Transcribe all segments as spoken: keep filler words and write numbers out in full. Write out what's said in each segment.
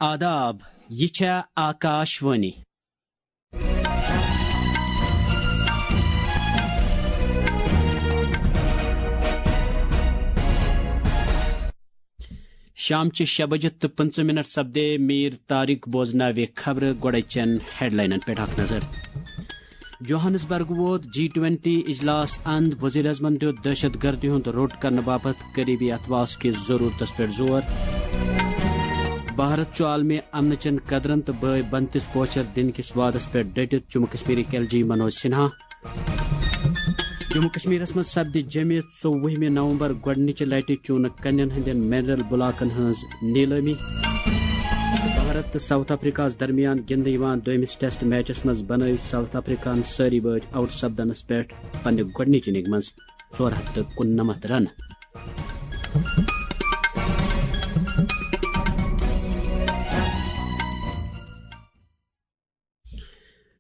آداب، یہِ چھےٚ آکاش وانی۔ شام چہِ شےٚ بجہِ تہٕ پٕنٛژٕہ منٹ سپدے۔ میٖر طارق بوزناوِ خبرٕ۔ گۄڈے چٮ۪ن ہیڈلاینن پٮ۪ٹھ اکھ نظر۔ جوہانسبرگ ووت جی ٹوینٹی اجلاس اند، وزیر اعظمن دیُت دہشت گردی ہُنٛد روٚٹ کرنہٕ باپتھ قریبی اتواس کِس ضرورتس پٮ۪ٹھ زور۔ بھارت چھُ عالمی امنہٕ چٮ۪ن قدرن تہٕ بٲے بندتِس پوچھر دِنہٕ کِس وعدس پٮ۪ٹھ ڈٔٹِتھ، جموں کشمیرٕکۍ ایل جی منوج سنہا۔ جموں کشمیرس منٛز سپدِ جمعہ ژوٚوُہمہِ نومبر گۄڈٕنِچہِ لٹہِ چوٗنہٕ کنٮ۪ن ہٕنٛدٮ۪ن منرل بلاکن ہٕنٛز نیلٲمی۔ بھارت تہٕ ساؤتھ افریقہس درمیان گِنٛدنہٕ یِوان دوٚیمِس ٹیسٹ میچس منٛز بنٲوۍ ساؤتھ افریقہن سٲری بٲتۍ آؤٹ سپدنس پٮ۪ٹھ پننہِ گۄڈٕنِچ اننگ منٛز ژور ہتھ تہٕ کُننمتھ رنہٕ۔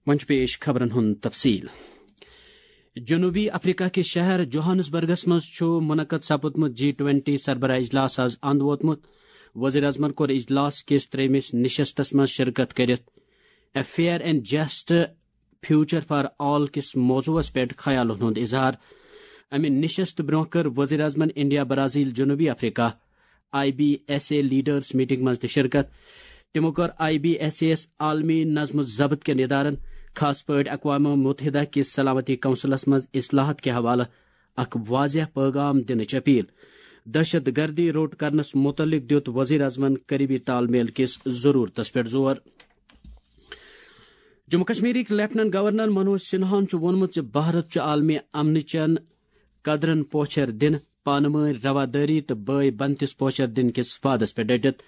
وۄنۍ چھُ پیش خبرن ہُنٛد تفصیل۔ جنوبی افریقہ کِس شہر جوہانسبرگس منٛز چھُ منعقد سپُدمُت جی ٹوینٹی سربراہ اجلاس از اند ووتمُت۔ وزیر اعظمن کوٚر اجلاس کِس ترٛیٚیمِس نشستس منٛز شرکت کٔرِتھ A Fair and Just Future for All کِس موضوعس پٮ۪ٹھ خیالن ہُنٛد اظہار۔ امہِ نشست برونٛہہ کٔر وزیر اعظمن انڈیا، برازیل، جنوبی Africa, I B S A leaders meeting منٛز تہِ شرکت۔ تِمو کٔر آئی بی ایس اے یَس عالمی نظم و ضبط کٮ۪ن ادارن، خاص پٲٹھۍ اقوام متحدہ کِس سلامتی کونسلس منٛز اصلاحات کہِ حوالہٕ اکھ واضح پیغام دِنٕچ اپیل۔ دہشت گردی روٚٹ کرنس متعلق دِیُت وزیر اعظمن قریبی تال میل کِس ضرورتس پٮ۪ٹھ زور۔ جموں کشمیرٕکۍ لیفٹیننٹ گورنر منوج سنہاہن چھُ ووٚنمُت زِ بھارت چھُ عالمی امنٕچن قدرن پوچھر دِنہٕ، پانہٕ وٲنۍ روادٲری تہٕ بٲے بنتِس پوچھر دِنہٕ کِس وعدس پٮ۪ٹھ ڈٔٹِتھ۔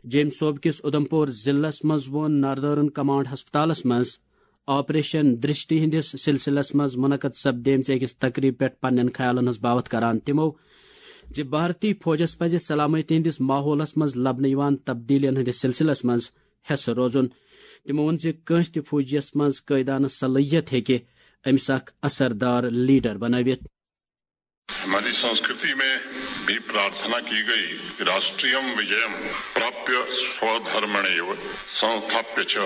جیٚمۍ صوبہٕ کِس اُدھمپور ضلعس منٛز ووٚن ناردرن کمانڈ ہسپتالس منٛز آپریشن درشٹی ہٕنٛدِس سلسلس منٛز منعقد سپدیمژِ أکِس تقریبہِ پٮ۪ٹھ پننٮ۪ن خیالن ہٕنٛز باوتھ کران تِمو زِ بھارتی فوجس پزِ سلامتی ہٕنٛدِس ماحولس منٛز لبنہٕ یِوان تبدیلیَن ہٕنٛدِس سلسلس منٛز حصہٕ روزُن۔ تِمو ووٚن زِ کٲنٛسہِ تہِ فوجیَس منٛز قٲیدانہٕ صلٲحیت ہیٚکہِ أمِس اکھ اثردار لیڈر بنٲوِتھ۔ हमारी संस्कृति में भी प्रार्थना की गई कि राष्ट्रियम विजयम प्राप्य स्वधर्मणेव संस्थाप्य च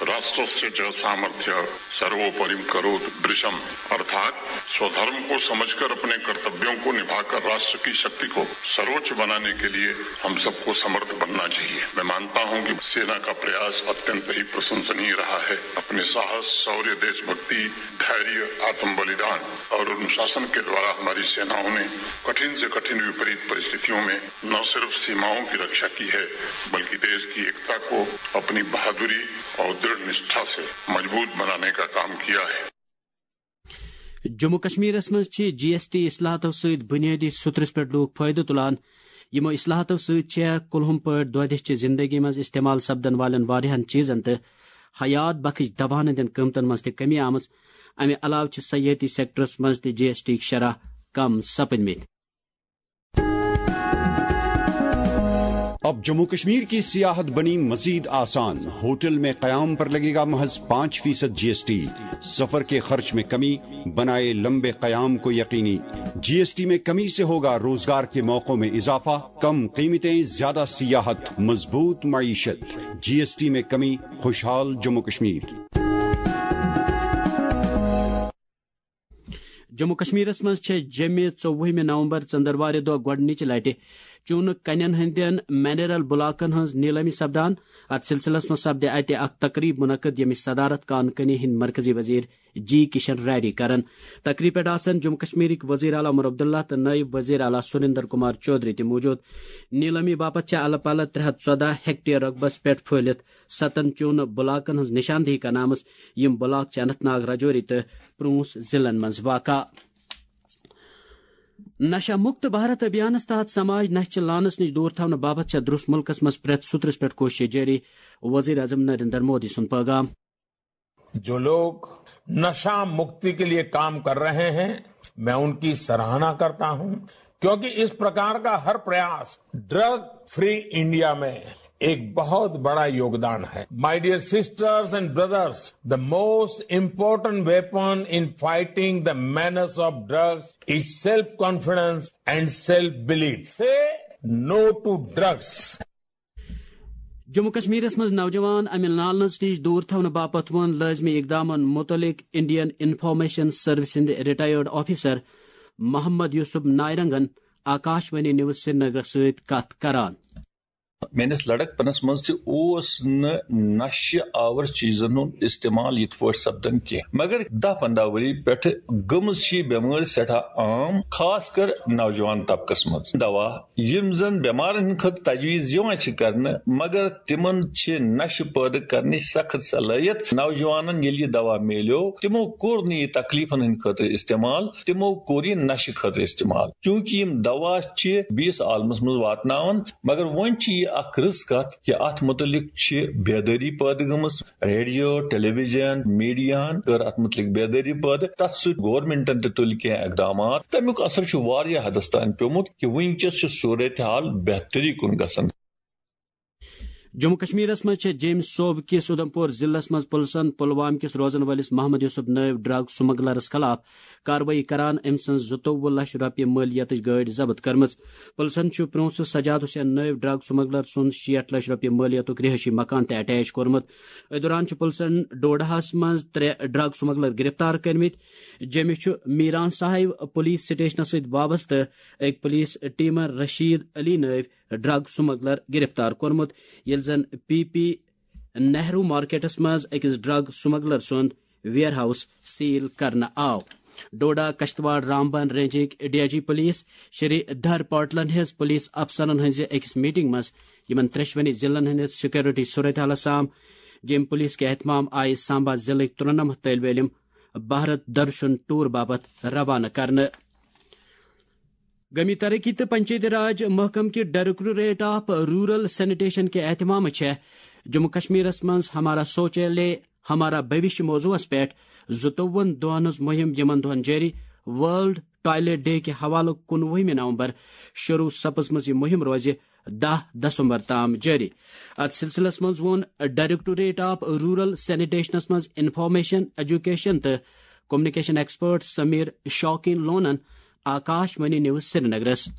राष्ट्रस्य च सामर्थ्य सर्वोपरि करोत भृशम। अर्थात स्वधर्म को समझकर अपने कर्तव्यों को निभाकर राष्ट्र की शक्ति को सर्वोच्च बनाने के लिए हम सबको समर्थ बनना चाहिए। मैं मानता हूं कि सेना का प्रयास अत्यंत ही प्रशंसनीय रहा है। अपने साहस, शौर्य, देशभक्ति, धैर्य, आत्म बलिदान और अनुशासन के द्वारा हमारी सेनाओं ने कठिन से कठिन विपरीत परिस्थितियों में न सिर्फ सीमाओं की रक्षा की है, बल्कि देश की एकता को अपनी बहादुरी और दृढ़ निष्ठा से मजबूत बनाने का काम किया है। جموں کشمیرس منٛز چھِ جی ایس ٹی اصلاحاتو سۭتۍ بنیٲدی سُترس پٮ۪ٹھ لوٗکھ فٲیدٕ تُلان۔ یِمو اصلاحاتو سۭتۍ چھےٚ کُلہُم پٲٹھۍ دۄہ دِش چہِ زندگی منٛز استعمال سپدن والٮ۪ن واریاہن چیزن تہٕ حیات بخش دوہن ہٕنٛدٮ۪ن قۭمتن منٛز تہِ کمی آمٕژ۔ امہِ علاوٕ چھِ سیاحتی سیکٹرس منٛز تہِ جی ایس ٹی شرح کم سپدمٕتۍ۔ اب جموں کشمیر کی سیاحت بنی مزید آسان، ہوٹل میں قیام پر لگے گا محض پانچ فیصد جی ایس ٹی، سفر کے خرچ میں کمی، بنائے لمبے قیام کو یقینی۔ جی ایس ٹی میں کمی سے ہوگا روزگار کے موقعوں میں اضافہ، کم قیمتیں، زیادہ سیاحت، مضبوط معیشت۔ جی ایس ٹی میں کمی، خوشحال جموں کشمیر۔ جموں کشمیرس منٛز چھےٚ جیٚمہِ ژوٚوُہمہِ نومبر ژٔنٛدٕروارِ دۄہ گۄڈٕنِچہِ لٹہِ چوٗنہٕ کنٮ۪ن ہٕنٛدٮ۪ن منرل بلاکن ہٕنٛز نیلٲمی سپدان۔ اتھ سلسلس منٛز سپدِ اتہِ اکھ تقریب منعقد، ییٚمِچ صدارت کان کنی ہٕنٛدۍ مرکزی وزیر جی کشن ریڈی کرن۔ تقریب پٮ۪ٹھ آسن جموں کشمیرٕکۍ وزیر اعلیٰ عمر عبداللہ تہٕ نٲیِب وزیر اعلیٰ سریندر کمار چودھری تہِ موجود۔ نیلٲمی باپتھ چھےٚ الہٕ پلہٕ ترٛےٚ ہتھ ژۄدہ ہیکٹیر رقبس پٮ۪ٹھ پھٔہلِتھ ستن چوٗنہٕ بلاکن ہٕنٛز نشاندہی کرنہٕ آمٕژ، یِم بلاک چھِ اننت ناگ، راجوری تہٕ پونٛچھ ضلعن منٛز واقع۔ نشہ مکت بھارت ابھیانس تحت سماج نشہ چہِ لانس نش دور تھاونہٕ باپتھ چھےٚ درس ملکس منٛز پرٛٮ۪تھ سوٚترس پٮ۪ٹھ کوشش جٲری، وزیر اعظم نریندر مودی سُنٛد پیغام۔ जो लोग नशा मुक्ति के लिए काम कर रहे हैं, मैं उनकी सराहना करता हूं, क्योंकि इस प्रकार का हर प्रयास ड्रग फ्री इंडिया में एक बहुत बड़ा योगदान है। My dear sisters and brothers, the most important weapon in fighting the menace of drugs is self confidence and self belief. Say no to drugs. Jammu کشمیرس منٛز نوجوان امہِ لالنس نِش دوٗر تھاونہٕ باپتھ ووٚن لٲزمی اقدامن مُتعلق انڈین انفارمیشن سروس ہٕنٛدِ ریٹائرڈ آفیسر محمد یوسف نائرنگن آکاش وانی نیوز سرینگرس سۭتۍ کتھ کران۔ میٲنِس لڑکپنس منٛز تہِ اوس نہٕ نشہِ آور چیزن ہُنٛد استعمال یِتھ پٲٹھۍ سپدان کینٛہہ، مگر دہ پنداہ ؤری پٮ۪ٹھٕ گٔمٕژ چھِ یہِ بٮ۪مٲرۍ سٮ۪ٹھاہ عام، خاص کر نوجوان طبقس منٛز۔ دوا یِم زن بٮ۪مارن ہٕنٛدِ خٲطرٕ تجویز یِوان چھِ کرنہٕ، مگر تِمن چھِ نشہِ پٲدٕ کرنٕچ سخت صلٲحیت۔ نوجوانن ییٚلہِ یہِ دوا میلیو، تِمو کوٚر نہٕ یہِ تکلیفن ہٕنٛدِ خٲطرٕ استعمال، تِمو کوٚر یہِ نشہِ خٲطرٕ استعمال۔ چونکہ یِم دوا چھِ بیٚیِس عالمس منٛز واتناوان، مگر وۄنۍ چھِ یہِ اکھ رٕژ کتھ کہِ اتھ متعلق چھِ بیدٲری پٲدٕ گٔمٕژ۔ ریڈیو، ٹیلی ویژن، میڈیاہن کٔر اتھ متعلق بیدٲری پٲدٕ، تتھ سۭتۍ گورنمنٹن تہِ تُلۍ کینٛہہ اقدامات۔ تمیُک اثر چھُ واریاہ حدس تام پیومُت کہِ وٕنکیٚس چھِ صورتحال بہتری کُن گژھان۔ جموں کشمیرس منٛز چھےٚ جیٚمۍ صوبہٕ کِس اُدھمپور ضلعس منٛز پُلسن پلوامہ کِس روزن وٲلِس محمد یوسف نٲیِب ڈرگ سمگلرس خلاف کاروٲیی کران، أمۍ سٕنٛز زٕتووُہ لچھ رۄپیہِ مٲلیتٕچ گٲڑۍ ضبط کٔرمٕژ۔ پُلسن چھُ پرونٛسہٕ سجاد حسین نٲیِب ڈرگ سمگلر سُنٛد شیٹھ لچھ رۄپیہِ مٲلیتُک رہٲیشی مکان تہِ اٹیچ کوٚرمُت۔ أتھۍ دوران چھُ پُلسن ڈوڈاہس منٛز ترٛےٚ ڈرگ سمگلر گرفتار کٔرمٕتۍ۔ جیٚمہِ چھُ میران صاحب پُلیٖس سٹیشنس سۭتۍ وابستہٕ أکۍ پُلیٖس ٹیمن رشید علی نٲوۍ ڈرگ سمگلر گرفتار کوٚرمُت، ییٚلہِ زن پی پی نہرو مارکیٹس منٛز أکِس ڈرگ سمگلر سُنٛد ویئر ہاؤس سیل کرنہٕ آو۔ ڈوڈا کشتواڑ رامبن رینجٕکۍ D I G police Shridhar پاٹلن ہٕنٛز پُلیٖس افسرن ہٕنٛزِ أکِس میٹنگ منٛز یِمن ترٛیٚشوٕنی ضلعن ہٕنٛدِ سیکورٹی صورتحالس سام۔ جیٚمۍ پُلیٖس کہِ اہتمام آیہِ سامبا ضلعٕکۍ ترُنمتھ طٲلبہِ علم بھارت درشن ٹور باپتھ روانہٕ کرنہٕ۔ گٲمی ترقی تہٕ پنچایتی راج محکمہٕ کہِ ڈائریکٹوریٹ آف رورل سینیٹیشن کہِ اہتمامہٕ چھےٚ جموں کشمیرس منٛز ہمارا شوچالیہ ہمارا بھوشیہ موضوعس پٮ۪ٹھ زٕتووُہن دۄہن ہٕنٛز مُہِم، یِمن دۄہن جٲری ورلڈ ٹوائلٹ ڈے کہِ حوالہٕ کُنوُہمہِ نومبر شروع سپٕزمٕژ۔ یہِ مُہِم روزِ دَہ دسمبر تام جٲری۔ اتھ سلسلس منٛز ووٚن ڈائریکٹوریٹ آف رورل سینیٹیشنس منٛز انفارمیشن، ایجوکیشن تہٕ کمیونیکیشن ایکسپرٹ سمیر شوقین لونن آکاش وانی نیوز سرینگرس۔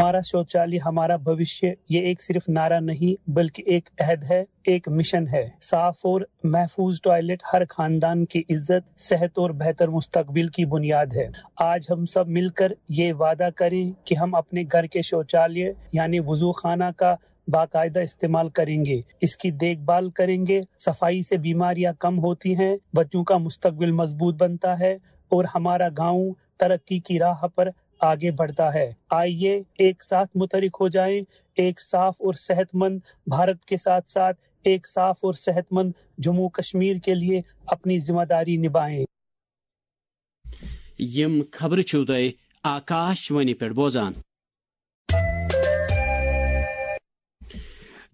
ہمارا شوچالیہ ہمارا بھوشیہ، یہ ایک صرف نعرہ نہیں بلکہ ایک عہد ہے، ایک مشن ہے۔ صاف اور محفوظ ٹوائلٹ ہر خاندان کی عزت، صحت اور بہتر مستقبل کی بنیاد ہے۔ آج ہم سب مل کر یہ وعدہ کریں کہ ہم اپنے گھر کے شوچالیہ یعنی وضو خانہ کا باقاعدہ استعمال کریں گے، اس کی دیکھ بھال کریں گے۔ صفائی سے بیماریاں کم ہوتی ہیں، بچوں کا مستقبل مضبوط بنتا ہے اور ہمارا گاؤں ترقی کی راہ پر آگے بڑھتا ہے۔ آئیے ایک ساتھ متحرک ہو جائیں، ایک صاف اور صحت مند بھارت کے ساتھ ساتھ ایک صاف اور صحت مند جموں کشمیر کے لیے اپنی ذمہ داری نبھائیں۔ یِم خبرٕ چھِو تۄہہِ آکاش وانی پٮ۪ٹھ بوزان۔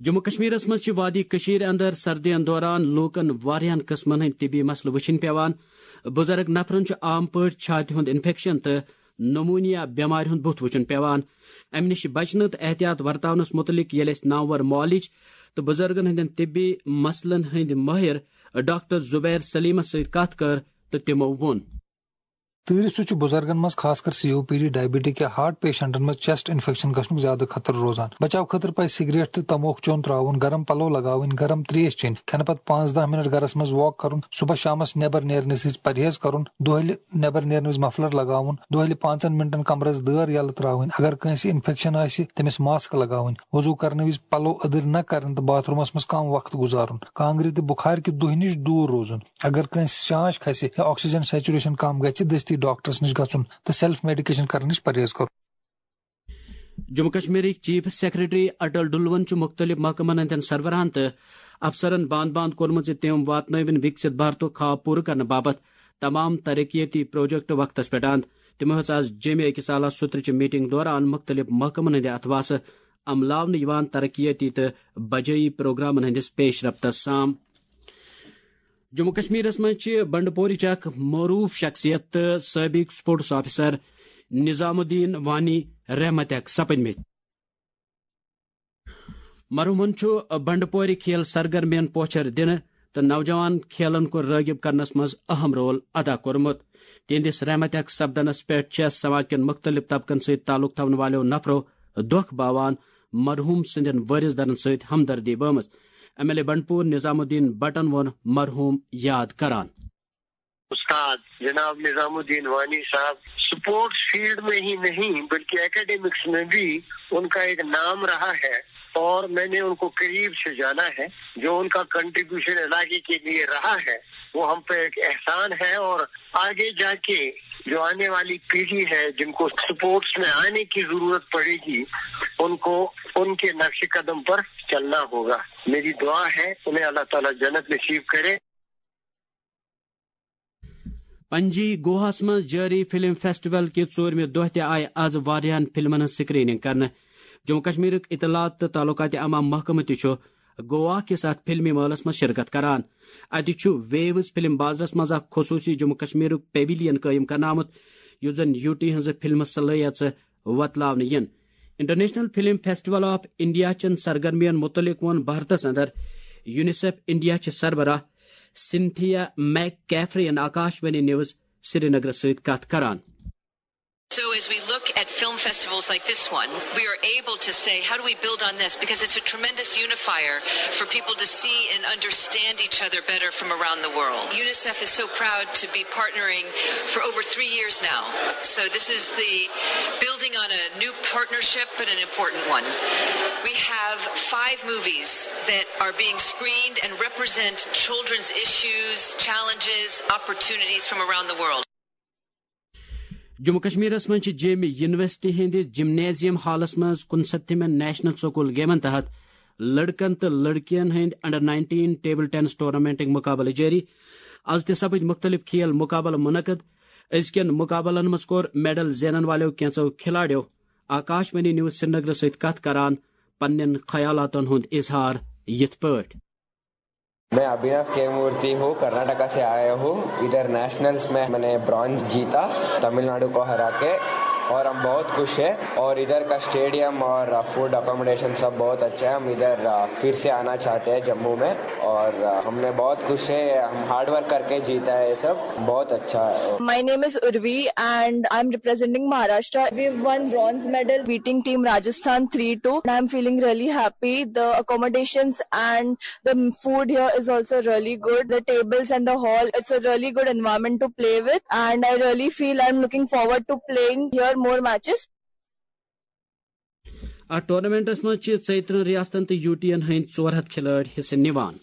جموں کشمیرس منٛز چھِ وادی کٔشیٖر اندر سردین دوران لوٗکن واریاہن قٕسمن ہٕنٛدۍ طبی مسلہٕ وٕچھِنۍ پٮ۪وان۔ بُزرگ نفرن چھُ عام پٲٹھۍ چھاتہِ ہُنٛد انفیکشن تہٕ نمونیا بٮ۪مارِ ہُنٛد بُتھ وٕچھُن پٮ۪وان۔ امہِ نِش بچنہٕ تہٕ احتیاط ورتاونس مُتعلق ییٚلہِ اَسہِ نامور معالج تہٕ بُزرگن ہٕنٛدٮ۪ن طبی مسلن ہٕنٛدۍ مٲہِر ڈاکٹر زبیر سلیمس سۭتۍ کتھ کٔر تہٕ تِمو ووٚن۔ تۭرِ سۭتۍ چھُ بُزرگن منٛز خاص کر سی او پی ڈی، ڈائبٹک یا ہارٹ پیشنٹن منٛز چیسٹ انفیکشن گژھنُک زیادٕ خطرٕ روزان۔ بچاو خٲطرٕ پزِ سگریٹ تہٕ تموک چوٚن ترٛاوُن، گرم پلو لگاوٕنۍ، گرم تریش چیٚنۍ، کھٮ۪نہٕ پتہٕ پانٛژھ دَہ منٹ گرس منٛز واک کرُن، صبح شامس نٮ۪بر نیرنہٕ وِزِ پرہیز کرُن، دۄہلہِ نٮ۪بر نیرنہٕ وِزِ مفلر لگاوُن، دۄہلہِ پانٛژن منٹن کمرس دٲر یلہٕ ترٛاوٕنۍ، اگر کٲنٛسہِ انفیکشن آسہِ تٔمِس ماسک لگاوٕنۍ، وضو کرنہٕ وِزِ پلو أدٕرۍ نہ کرٕنۍ تہٕ باتھ رومس منٛز کم وقت گُزارُن، کانٛگرِ تہٕ بُخارِ کہِ دُہہِ نِش دوٗر روزُن۔ اگر کٲنٛسہِ شانٛش کھسہِ یا آکسیجن سیچوریشن کم گژھِ، دستی ڈاکٹرس نِش گژھُن تہٕ سیلف میڈیکیشن کرنہٕ نِش پرہیز کرُن۔ جموں کشمیرٕکۍ چیف سیکرٹری اٹل ڈلون چھُ مُختٔلِف محکمن ہٕنٛدٮ۪ن سربراہن تہٕ افسرن باند باند کوٚرمُت زِ تِم واتنٲوِن وِکسِت بھارتُک خواب پوٗرٕ کرنہٕ باپتھ تمام ترقیتی پروجیکٹ وقتس پٮ۪ٹھ اند۔ تِمو ہیٚژ آز جیٚمہِ أکِس اعلیٰ سُترٕ چہِ میٹنگ دوران مُختٔلِف محکمن ہٕنٛدِ اتھواسہٕ عملاونہٕ یِوان ترقیتی تہٕ بجٲیی پروگرامن ہٕنٛدِس پیش رفتس سام۔ جموں کشمیرس منٛز چھِ بنڈپورٕچ اکھ معروف شخصیت تہٕ سٲبق سپورٹس آفیسر نظام الدین وانی رحمتک سپدمٕتۍ۔ مرحومن چھُ بنڈپورِ کھیل سرگرمین پوچھر دِنہٕ تہٕ نوجوان کھیلن کُن رٲغب کرنس منٛز اہم رول ادا کوٚرمُت۔ تِہنٛدِس رحمتک سپدنس پٮ۪ٹھ چھےٚ سماج کٮ۪ن مُختٔلِف طبقن سۭتۍ تعلق تھاون والٮ۪و نفرو دۄکھ باوان۔ مرحوم سٕنٛدٮ۪ن وٲرِث دارن سۭتۍ ہمدردی بٲومٕژ۔ ایم ایل اے بنڈپور نظام الدین بٹن ووٚن مرحوم یاد کران۔ استاد جناب نظام الدین وانی صاحب سپورٹس فیلڈ میں ہی نہیں بلکہ اکیڈمکس میں بھی ان کا ایک نام رہا ہے اور میں نے ان کو قریب سے جانا ہے۔ جو ان کا کنٹریبیوشن علاقے کے لیے رہا ہے وہ ہم پہ ایک احسان ہے اور آگے جا کے جو آنے والی پیڑھی ہے جن کو سپورٹس میں آنے کی ضرورت پڑے گی ان کو ان کے نقش قدم پر چلنا ہوگا۔ میری دعا ہے انہیں اللہ تعالیٰ جنت نصیب کرے۔ پنجی گوہس منٛز جٲری فلم فیسٹیول کہِ ژوٗرمہِ دۄہ تہِ آیہِ از واریاہن فلمن ہٕنٛز سکریننگ کرنہٕ۔ جموں کشمیرُک اطلاعات تہٕ تعلقات عامہ محکمہٕ تہِ چھُ گوا کِس اتھ فلمی مٲلس منٛز شرکت کران۔ اتہِ چھُ ویوز فلم بازرس منٛز اکھ خصوٗصی جموں کشمیرُک پیویلین قٲیِم کرنہٕ آمُت، یُس زن یوٗ ٹی ہٕنٛزٕ فلمہٕ صلٲحیژٕ وۄتلاونہٕ یِن۔ International film festival of India چٮ۪ن سرگرمین متعلق ووٚن بھارتس اندر یونیسیف انڈیا چہِ سربراہ سنتھیا میک کیفرین آکاش وانی نیوز سرینگرس سۭتۍ کتھ کران۔ So, as we look at film festivals like this one, we are able to say, how do we build on this? Because it's a tremendous unifier for people to see and understand each other better from around the world. UNICEF is so proud to be partnering for over three years now. So, this is the building on a new partnership, but an important one. We have five movies that are being screened and represent children's issues, challenges, opportunities from around the world. Jammu کشمیرس منٛز چھِ جیمہِ university ہٕنٛدِ gymnasium halls منٛز کُنسَتتھمٮ۪ن national school گیمن تحت لڑکن تہٕ لڑکین ہٕنٛدۍ under nineteen table tennis ٹورنامنٹٕکۍ مقابلہٕ جٲری۔ از تہِ سپٕدۍ مختلف کھیل مقابلہٕ منعقد۔ أزکٮ۪ن مقابلن منٛز کوٚر میڈل زینن والٮ۪و کینٛژو کھلاڑیو آکاش وانی نیوز سرینگرس سۭتۍ کتھ کران پننٮ۪ن خیالاتن ہُنٛد اظہار یِتھ پٲٹھۍ۔ میں ابھینو کے مورتی ہوں، کرناٹکا سے آیا ہوں۔ ادھر نیشنلز میں میں نے برانز جیتا تمل ناڈو کو ہرا کے، اور ہم بہت خوش ہیں۔ اور ادھر کا اسٹیڈیم اور فوڈ اکوموڈیشن سب بہت اچھا ہے۔ ہم ادھر آ، پھر سے آنا چاہتے ہیں جموں میں، اور آ، ہم نے بہت خوش ہے۔ ہم ہارڈ ورک کر کے جیتا ہے یہ سب، بہت اچھا ہے۔ My name is Urvi and I'm representing Maharashtra. We've won bronze medal beating team Rajasthan three two. And I'm feeling really happy. The accommodations and the food here is also really good. The tables and the hall, it's a really good environment to play with. And I really feel I'm looking forward to playing here more matches. اتھ tournaments منٛز چھِ ژۄیہِ ترٕٛہن ریاستن تہٕ U T ین ہٕنٛدۍ ژور ہتھ کھلٲڑۍ حصہٕ نِوان۔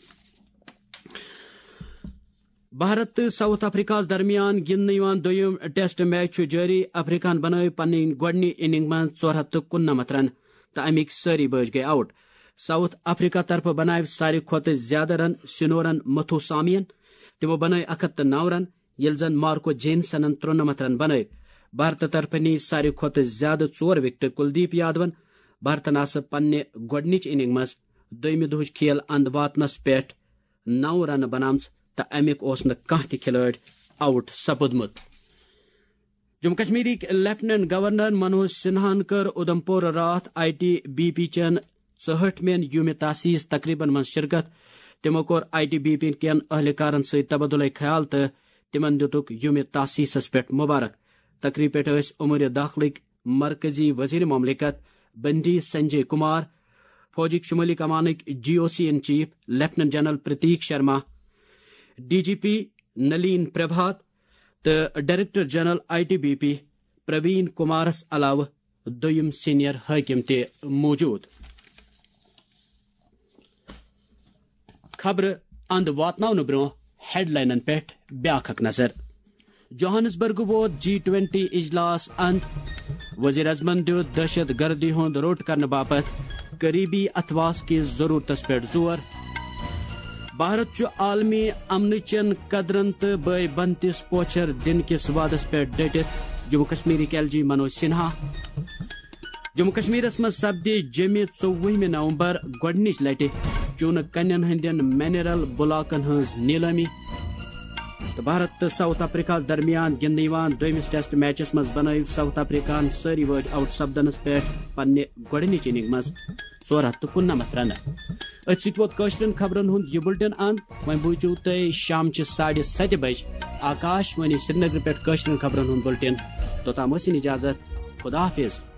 بھارت تہٕ ساؤتھ افریقہس درمیان گِنٛدنہٕ یِوان دوٚیُم ٹیسٹ میچ چھُ جٲری۔ افریقہن بنٲوۍ پنٕنۍ گۄڈٕنِچ اننگ منٛز ژور ہتھ تہٕ کُننمتھ رن تہٕ امیِکۍ سٲری بٲژ گٔیہِ آؤٹ۔ ساؤتھ افریقہ طرفہٕ بنٲوۍ ساروی کھۄتہٕ زیادٕ رن سنورن متھوسامین، تِمو بنٲوۍ اکھ ہتھ تہٕ نو رن، ییٚلہِ زن مارکو جینسنن ترُنمتھ رن بنٲوۍ۔ بھارتہٕ طرفہٕ نی ساروی کھۄتہٕ زیادٕ ژور وکٹہٕ کلدیپ یادون۔ بھارتن آسہٕ پننہِ گۄڈٕنِچ اننگ منٛز دوٚیمہِ دۄہٕچ کھیل اند واتنس پٮ۪ٹھ نو رنہٕ بنامژٕ تہٕ امیُک اوس نہٕ کانٛہہ تہِ کھلٲڑۍ آؤٹ سپُدمُت۔ جموں کشمیرٕکۍ لیفٹیننٹ گورنر منوج سنہاہن کٔر اودھمپور راتھ آئی ٹی بی پی چٮ۪ن ژُہٲٹھمٮ۪ن یوم تاسیس تقریبن منٛز شرکت۔ تِمو کوٚر آئی ٹی بی پی کٮ۪ن اہلکارن سۭتۍ تبادلہ خیال تہٕ تِمن دِتُکھ یوم تاسیسس پٮ۪ٹھ مبارک۔ تقریب پٮ۪ٹھ ٲسۍ امور داخلٕکۍ مرکزی وزیر مملکت بنڈی سنجے کمار، فوجٕکۍ شمٲلی کمانٕکۍ G O C in chief lieutenant general Prateek Sharma, D G P Nalin Prabhat تہٕ director general I T B P Praveen کمارس علاوٕ دوٚیِم سینئر حٲکم تہِ موجود۔ خبرٕ اند واتناونہٕ برونٛہہ ہیڈلاینن پٮ۪ٹھ بیاکھ اکھ نظر۔ جوہانسبرگ ووت جی ٹوینٹی اجلاس اند۔ وزیر اعظمن دیُت دہشت گردی ہُنٛد روٚٹ کرنہٕ باپتھ قریبی اتھواس کِس ضرورتس پٮ۪ٹھ زور۔ بھارت چھُ عالمی امنہٕ چٮ۪ن قدرن تہٕ بٲے بنتِس پوچھر دِنہٕ کِس وعدس پٮ۪ٹھ ڈٔٹِتھ، جموں کشمیرٕکۍ ایل جی منوج سنہا۔ جموں کشمیرس منٛز سپدِ جیٚمہِ ژوٚوُہمہِ نومبر گۄڈٕنِچ لٹہِ چوٗنہٕ کنٮ۪ن ہٕنٛدٮ۪ن منرل بلاکن ہٕنٛز نیلٲمی۔ تہٕ بھارت تہٕ ساؤتھ افریقہس درمیان گِنٛدنہٕ یِوان دوٚیمِس ٹیسٹ میچس منٛز بنٲوۍ ساؤتھ افریقہن سٲری وٲج آؤٹ سپدنس پٮ۪ٹھ پننہِ گۄڈٕنِچ اننگ منٛز ژور ہتھ تہٕ کُننمتھ رنہٕ۔ أتھۍ سۭتۍ ووت کٲشرٮ۪ن خبرن ہُنٛد یہِ بُلٹن اند۔ وۄنۍ بوٗزِو تُہۍ شامچہِ ساڑِ ستہِ بجہِ آکاش وانی سرینگرٕ پٮ۪ٹھ کٲشرٮ۪ن خبرن ہُنٛد بُلٹن۔ توٚتام ٲسِن اجازت۔ خدا حافظ۔